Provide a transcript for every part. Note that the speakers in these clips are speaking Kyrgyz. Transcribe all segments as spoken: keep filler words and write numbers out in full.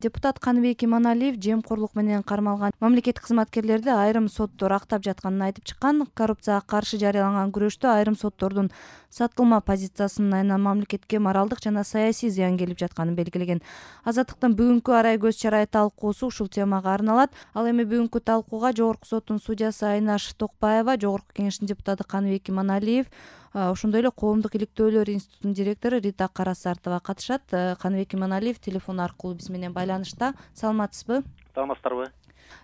Депутат Каныбек Иманалиев жемкорлук менен кармалган мамлекеттик кызматкерлерди айрым соттор актап жатканын айтып чыккан. Коррупцияга каршы жарыяланган күрөштө айрым соттордун сатылма позициясынын айынан мамлекетке моралдык жана саясий зыян келип жатканын белгилеген. Азаттыктын бүгүнкү арай көз чарай талкуусу ушул темага арналат. Ал эми бүгүнкү талкууга Жогорку соттун судьясы Айнаш Токпаева, Жогорку кеңештин депутаты Каныбек Иманалиев, ошондой эле Коомдук иликтөөлөр институтунун директору Рита Карасартова катышат. Каныбек Иманалиев телефон аркылуу биз менен байланышта. Саламатсызбы? Саламатсыздарбы?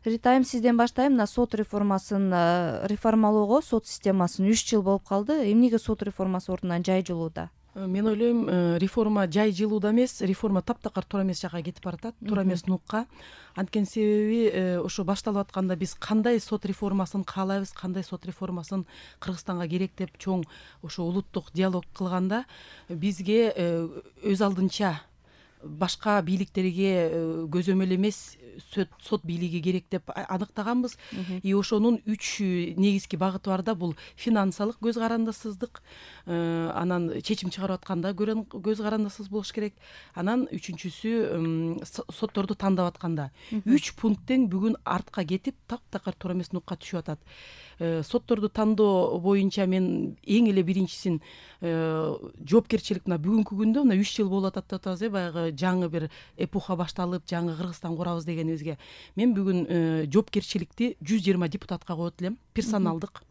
Рита айым, сизден баштайм. Мына сот реформасын реформалоого сот системасын үч жыл болуп калды. Эмнеге сот реформасы ордунан жай жылууда? Мен ойлойм, реформа жай жылууда эмес, реформа таптакыр туура эмес жакка кетип баратат, туура эмес нукка. Анткени себеби ошо башталып атканда биз кандай сот реформасын каалайбыз, кандай сот реформасын Кыргызстанга керек деп чоң ошо улуттук диалог кылганда бизге өз алдынча башка бийликтерге көзөмөл эмес сот бийлиги керек деп аныктаганбыз. И ошонун үч негизги багыты бар да, бул финансылык көз карандысыздык, анан чечим чыгарып атканда көз карандысыз болуш керек, анан үчүнчүсү сотторду тандап атканда. Үч пункттен бүгүн артка кетип, таптакыр туура эмес нукка түшүп атат. Сотторду тандоо боюнча мен эң эле биринчисин жоопкерчилик мына бүгүнкү күндө мына үч жыл болуп атат деп атабыз, э баягы жаңы бир эпоха башталып, жаңы Кыргызстан курабыз дегенибизге. Мен бүгүн жоопкерчиликти жүз жыйырма депутатка коет элем, персоналдык.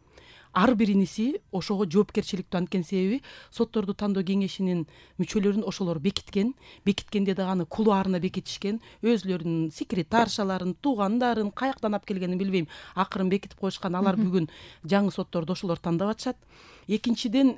Ар бириниси ошого жоопкерчиликтүү, анткени себеби сотторду тандоо кеңешинин мүчөлөрүн ошолор бекиткен, бекиткенде дагы аны кулуарына бекитишкен, өзлөрүнүн секретаршаларын, туугандарын каяктан алып келгенин билбейм, акырын бекитип коюшкан. Алар бүгүн жаңы сотторду ошолор тандап атышат. Экинчиден,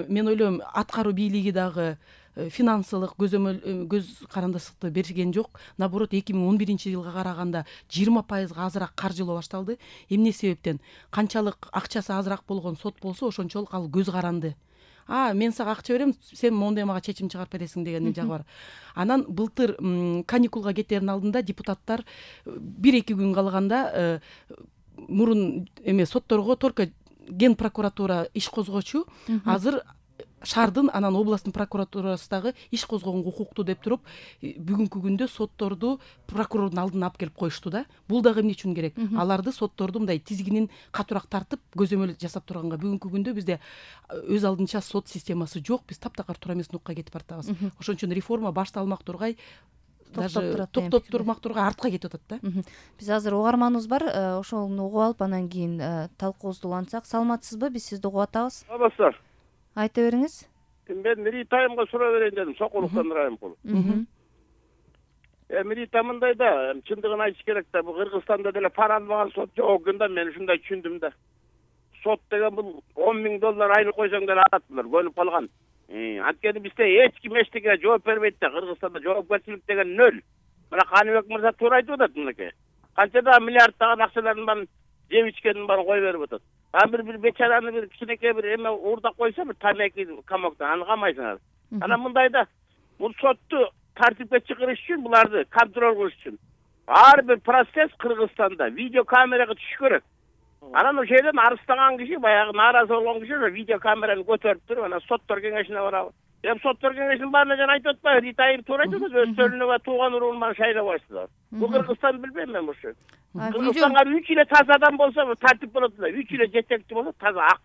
мен ойлойм, аткаруу бийлиги дагы финансылык көзөмөл көз карандысыкты берген жок. Наоборот, эки миң он биринчи жылга караганда жыйырма пайызга азыраак каржылоо башталды. Эмне себептен? Канчалык акчасы азыраак болгон сот болсо, ошончолук ал көз каранды. А, мен сага акча берем, сен моундай мага чечим чыгарып бересиң деген жагы бар. Анан былтыр каникулга кетердин алдында депутаттар бир-эки күн калганда мурун эме сотторго только ген прокуратура иш козгочу, азыр шаардын анан областтын прокуратурасы дагы иш козгогонго укуктуу деп туруп, бүгүнкү күндө сотторду прокурордун алдына алып келип коюшту да. Бул дагы эмне үчүн керек? Аларды сотторду мындай тизгинин катуураак тартып, көзөмөл жасап турганга. Бүгүнкү күндө бизде өз алдынча сот системасы жок, биз таптакыр туура эмес нукка кетип баратабыз. Ошон үчүн реформа башталмак тургай, даже токтоп турмак тургай артка кетип атат да. Биз азыр угарманыбыз бар, ошону угуп алып анан кийин талкуубузду улантсак. Саламатсызбы? Биз сизди угуп атабыз. Саламатсыздар. Айта бериңиз. Мен Рита айымга суроо берейин дедим, Сокулуктан Райымкул. Эми Рита мындай да, чындыгын айтыш керек да, бул Кыргызстанда деле пара албаган сот жок экен да, мен ушундай түшүндүм да. Сот деген бул он миң доллар айлык койсоң деле алат булар, көнүп калган. Анткени бизде эч ким эчтекеге жооп бербейт да, Кыргызстанда жоопкерчилик деген нөл. Мына Каныбек мырза туура айтып атат мынакей. Канча да миллиарддаган акчалардын баарын жеп ичкендин баарын кой берип атат. А бир бир бечараны бир кичинекей бир эме уурдап койсо, бир тамеки камоктон аны камайсыңар. Анан мындай да, бул сотту тартипке чыгарыш үчүн, буларды контроль кылыш үчүн ар бир процесс Кыргызстанда видеокамерага түшүш керек. Анан ошол жерден арыстаган киши, баягы нааразы болгон киши ошо видеокамераны көтөрүп туруп, анан соттор кеңешине барабы. Эми соттор кеңешинин баарына жана айтып атпайбы, Рита айым туура айтып атат, өз төлүнө тууган уругунан шайлабайсыздар. Бул Кыргызстан билбейм мен ушу. Кыргызстанга үч эле таза адам болсо тартип болот да, үч эле жетекчи болсо таза ак.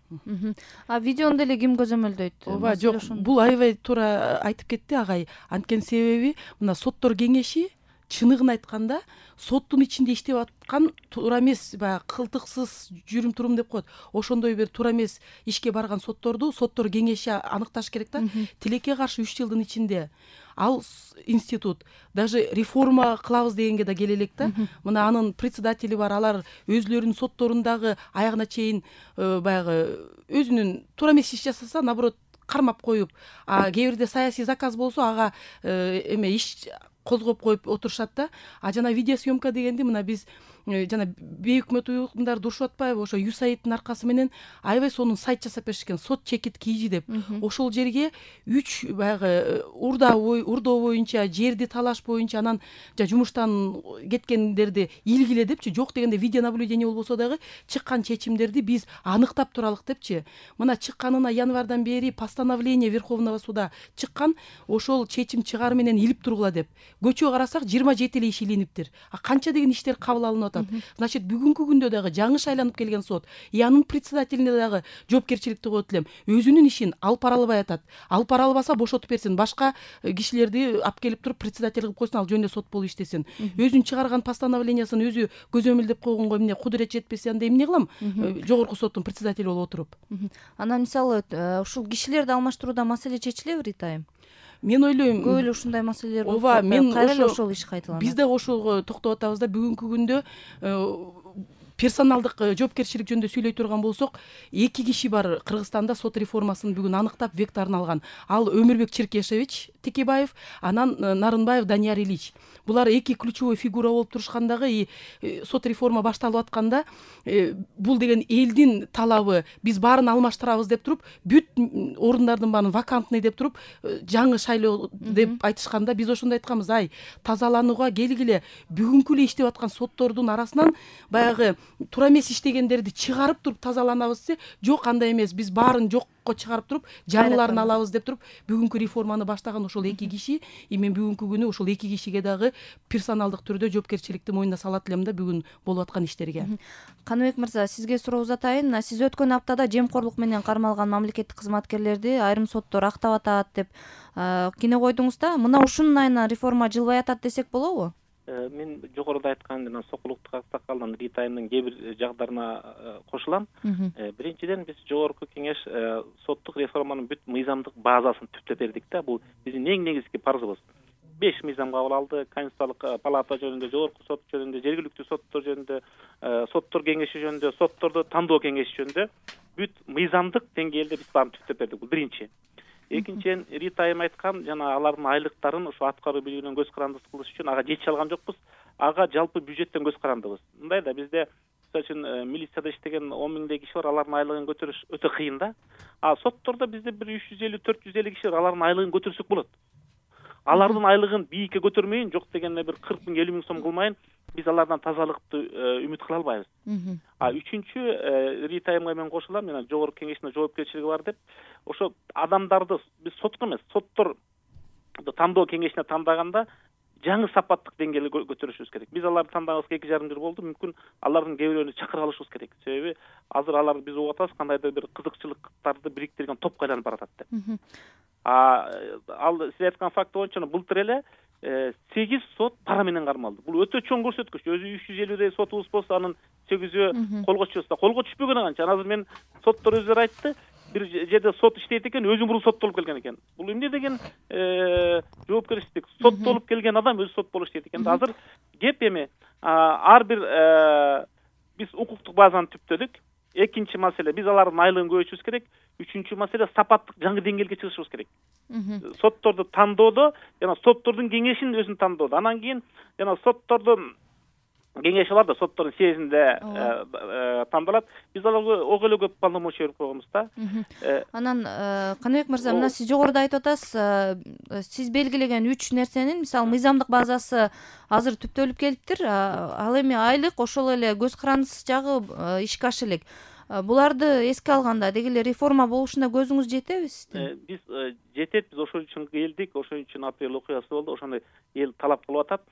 А видеону деле ким көзөмөлдөйт? Ооба, жок, бул аябай туура айтып кетти агай. Анткени себеби мына соттор кеңеши чыныгын айтканда соттун ичинде иштеп аткан туура эмес, баягы кылтыксыз жүрүм турум деп коет. Ошондой бир туура эмес ишке барган сотторду соттор кеңеши аныкташ керек да. Тилекке каршы үч жылдын ичинде ал институт даже реформа кылабыз дегенге да келе элек да. Мына анын председатели бар, алар өзлөрүнүн сотторундагы аягына чейин баягы өзүнүн туура эмес иш жасаса, наоборот кармап коюп, а кээ бирде саясий заказ болсо ага эме иш козгоп коюп отурушат да. А жана видеосъемка дегенди мына биз жана бейөкмөт уюмдарды урушуп атпайбы, ошо юсаидтин аркасы менен аябай сонун сайт жасап беришкен, сот чекит кийжи деп. Ошол жерге үч баягы урда урдоо боюнча, жерди талаш боюнча, анан жумуштан кеткендерди илгиле депчи, жок дегенде видеонаблюдение болбосо дагы чыккан чечимдерди биз аныктап туралык депчи. Мына чыкканына январдан бери постановление Верховного суда чыккан, ошол чечим чыгары менен илип тургула деп. көчө карасак жыйырма жети эле иш илиниптир. А канча деген иштер кабыл алынып атат. Значит, бүгүнкү күндө дагы жаңы шайланып келген сот и анын председателине дагы жоопкерчиликти коет элем. Өзүнүн ишин алып бара албай атат. Алып бара албаса бошотуп берсин, башка кишилерди алып келип туруп председатель кылып койсун, ал жөнүндө сот болуп иштесин. Өзүн чыгарган постановлениясын өзү көзөмөлдөп койгонго эмне кудурет жетпесе анда эмне кылам? Жогорку соттун председатели болуп отуруп. Анан мисалы ушул кишилерди алмаштырууда маселе чечилеби Рита айым? Мен ойлойм, көп эле ушундай маселелер болуп ооба, мен кайра эле ошол иш кайталанат. Биз дагы ошого токтоп атабыз да, бүгүнкү күндө персоналдык жоопкерчилик жөнүндө сөйлөй турган болсок, эки киши бар Кыргызстанда сот реформасын бүгүн аныктап вектарын алган. Ал Өмүрбек Черкешевич Текебаев, анан Нарынбаев Данияр Ильич. Булар эки ключевой фигура болуп турушкандагы, и сот реформа башталып атканда бул деген элдин талабы, биз баарын алмаштырабыз деп туруп, бүт орундардын баарын вакантный деп туруп, жаңы шайлоо деп айтышканда биз ошондой айтканбыз, ай, тазаланууга келгиле, бүгүнкү эле иштеп аткан соттордун арасынан баягы туура эмес иштегендерди чыгарып туруп тазаланабыз десе, жок, андай эмес, биз баарын жокко чыгарып туруп, жаңыларын алабыз деп туруп, бүгүнкү реформаны баштаган ошол эки киши, и мен бүгүнкү күнү ошол эки кишиге дагы персоналдык түрдө жоопкерчиликти мойнуна салат элем да, бүгүн болуп аткан иштерге. Каныбек мырза, сизге суроо узатайын. Сиз өткөн аптада жемкорлук менен кармалган мамлекеттик кызматкерлерди айрым соттор актап атат деп кине койдуңуз да. Мына ушунун айынан реформа жылбай атат десек болобу? Мен жогоруда айткан жана Сокулуктук аксакалдын Рита айымдын кээ бир жагдарына кошулам. Биринчиден, биз жогорку кеңеш соттук реформанын бүт мыйзамдык базасын түптөп бердик да. Бул биздин эң негизги парзыбыз. беш мыйзам кабыл алды. Конституциялык палата жөнүндө, жогорку сот жөнүндө, жергиликтүү соттор жөнүндө, соттор кеңеши жөнүндө, сотторду тандоо кеңеши жөнүндө бүт мыйзамдык деңгээлде биз баарын түптөп бердик. Бул биринчи. Экинчиден, Рита айым айткан жана алардын айлыктарын ошо аткаруу бийлигинен көз каранды кылыш үчүн ага жетише алган жокпуз. Ага жалпы бюджеттен көз карандыбыз. Мындай да, бизде мисалы үчүн милицияда иштеген он миңдей киши бар, алардын айлыгын көтөрүш өтө кыйын да. А соттордо бизде бир үч жүз элүү төрт жүз элүү киши бар, алардын айлыгын көтөрсөк болот. Алардын айлыгын бийикке көтөрмөйүн, жок дегенде бир кырк миң элүү миң сом кылмайын, биз алардан тазалыкты үмүт кыла албайбыз. А үчүнчү, Рита айымга мен кошулам, жана жогорку кеңештин жоопкерчилиги бар деп, ошо адамдарды биз сотко эмес, соттор тандоо кеңешине тандаганда жаңы сапаттык деңгээлге көтөрүшүбүз керек. Биз аларды тандагыбызга эки жарым жыл болду. Мүмкүн алардын кээ бирөөнү чакыра алышыбыз керек. Себеби азыр алар биз угуп атабыз, кандайдыр бир кызыкчылыктарды бириктирген топко айланып баратат деп. А ал сиз айткан факт боюнча былтыр эле сегиз сот пара менен кармалды. Бул өтө чоң көрсөткүч. Өзү үч жүз элүүдөй сотубуз болсо, анын сегизөө колго түшөбүз. Колго түшпөгөнү канча? Азыр мен соттор өздөрү айтты, бир жерде сот иштейт экен, өзү мурун соттолуп келген экен. Бул эмне деген жоопкерчилик? Соттолуп келген адам өзү сот болуп иштейт экен. Азыр кеп эми ар бир биз укуктук базаны түптөдүк. Экинчи маселе, биз алардын айлыгын көбөйтүшүбүз керек. Үчүнчү маселе, сапаттык жаңы деңгээлге чыгышыбыз керек. Сотторду тандоодо жана соттордун кеңешин өзүн тандоодо. Анан кийин жана соттордун кеңеши бар да, соттордун съездинде тандалат. Биз аларга ого эле көп полномочия берип койгонбуз да. Анан Каныбек мырза, мына сиз жогоруда айтып атасыз, сиз белгилеген үч нерсенин, мисалы, мыйзамдык базасы азыр түптөлүп келиптир. Ал эми айлык, ошол эле көз карандысыз жагы ишке аша элек. Буларды эске алганда деги эле реформа болушуна көзүңүз жетеби сиздин? Биз жетет, биз ошол үчүн келдик, ошол үчүн апрель окуясы болду, ошондой эл талап кылып атат.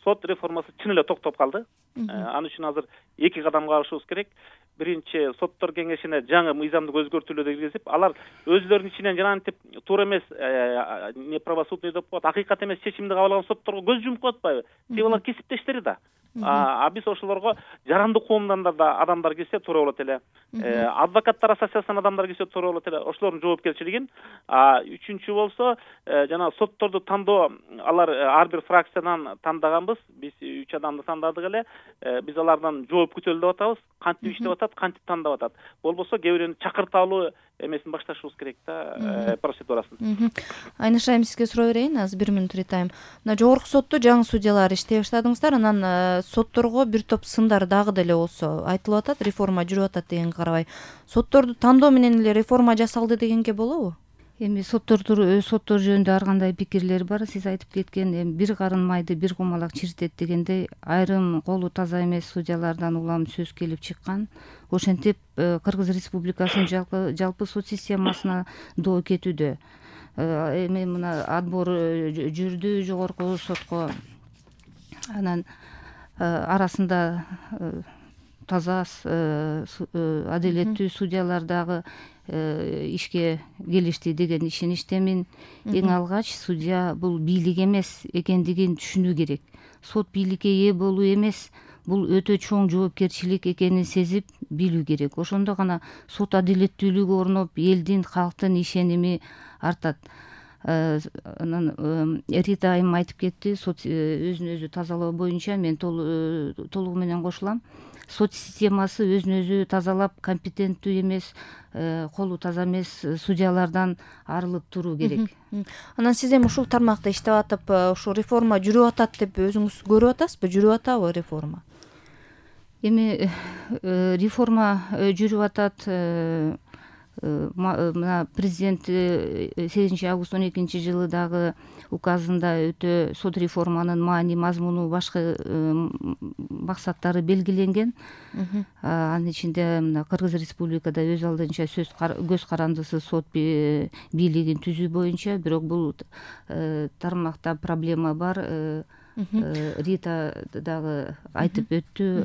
Сот реформасы чын эле токтоп калды. Ал үчүн азыр эки кадамга алышыбыз керек. Биринчи, соттор кеңешине жаңы мыйзамдык өзгөртүүлөрдү киргизип, алар өзлөрүнүн ичинен жанагынтип туура эмес, не правосудный деп коет, акыйкат эмес чечимди кабыл алган сотторго көз жумуп коюп атпайбы? Себеби алар кесиптештери да. А биз ошолорго жарандык коомдон да адамдар келсе туура болот эле. Адвокаттар ассоциациясынан адамдар келсе туура болот эле. Ошолордун жоопкерчилигин. А үчүнчү болсо, жана сотторду тандоо, алар ар бир фракциядан тандаганбыз. Биз үч адамды тандадык эле. Биз алардан жооп күтөлү деп атабыз. Кантип иштеп атат, кантип тандап атат. Болбосо кээ бирөөнү чакырталуу эмесин башташыбыз керек да, процедурасын. Айныш айым, сизге суроо берейин, азыр бир мүнөт Ритайым. Мына жогорку сотто жаңы судьялар иштей баштадыңыздар, анан сотторго бир топ сындар дагы деле болсо айтылып атат, реформа жүрүп атат дегенге карабай, сотторду тандоо менен эле реформа жасалды дегенге болобу? Эми соттор соттор жөнүндө ар кандай пикирлер бар. Сиз айтып кеткен, эми бир карын майды бир кумалак чиртет дегендей, айрым колу таза эмес судьялардан улам сөз келип чыккан. Ошентип Кыргыз Республикасынын жалпы жалпы сот системасына доо кетүүдө. эми мына отбор жүрдү жогорку сотко, анан арасында таза адилеттүү судьялар дагы ишке келишти деген ишеничтемин. Эң алгач судья бул бийлик эмес экендигин түшүнүү керек. Сот бийликке ээ болуу эмес, бул өтө чоң жоопкерчилик экенин сезип билүү керек. Ошондо гана сот адилеттүүлүгү орноп, элдин, калктын ишеними артат. Анан Рита айым айтып кетти, сот өзүн өзү тазалоо боюнча мен толугу менен кошулам. Сот системасы өзүн өзү тазалап, компетенттүү эмес, колу таза эмес судьялардан арылып туруу керек. Анан сиз эми ушул тармакта иштеп атып, ушул реформа жүрүп атат деп өзүңүз көрүп атасызбы? Жүрүп атабы реформа? Эми реформа жүрүп атат. Мына президент сегизинчи август он экинчи жылы дагы указында өтө сот реформанын маани, мазмуну, башкы максаттары белгиленген. Анын ичинде мына Кыргыз Республикада өз алдынча сөз көз карандысы сот бийлигин түзүү боюнча, бирок бул тармакта проблема бар. Рита дагы айтып өттү,